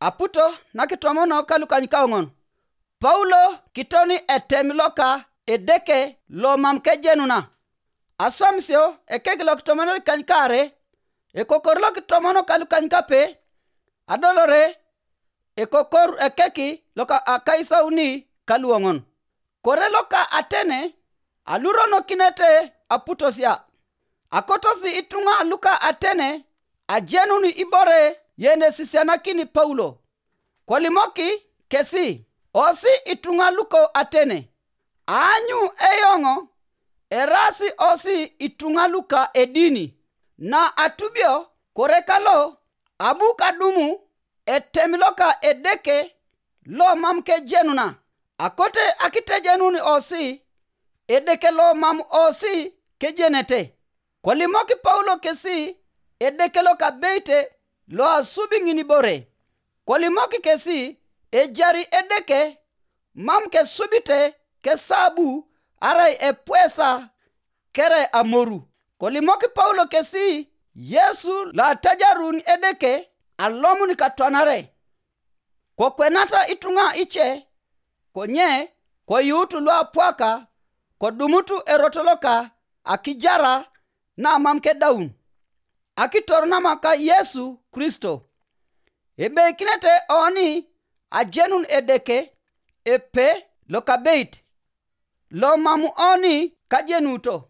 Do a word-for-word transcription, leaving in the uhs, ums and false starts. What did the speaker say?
Aputo na kitomono ka lukanykaoŋon. Paulo kitoni etemi loka Edeke lo mam kejenuna. Aswamisio ekek lo kitomonor ikanykaare, ekokor lo kitomono ka lukanykape, adolore ekokor ekek loka akaisauni ka luoŋon. Kore loka Atene aluronokinete aputosia. Akotosi ituŋa luka Atene ajenun ibore yenesisianakini Paulo. Kolimoki kesi, osi ituŋa luko Atene, aanyu eyoŋ eraasi osi ituŋa luka edini. Na atubio kore kalo abu kadumu etemi loka Edeke lo mam kejenuna, akote akitejenun osi Edeke lo mam osi kejenete. Kolimok Paulo kesi Edeke loka abeit lo asubi ŋinibore. Kolimok kesi ejari Edeke mam kesubite kesabu arai epwesa kere amoru. Kolimok Paulo kesi Yesu lo atajarun Edeke alomun katwanare. Kokwenata ituŋa ice, konye koyuut luapwaka kodumutu erot loka akijara na mam kedaun, akitor namaka Yesu Kristo. Ebeikinete oni ajenun Edeke epe loka abeit, lo mam oni kajenuto.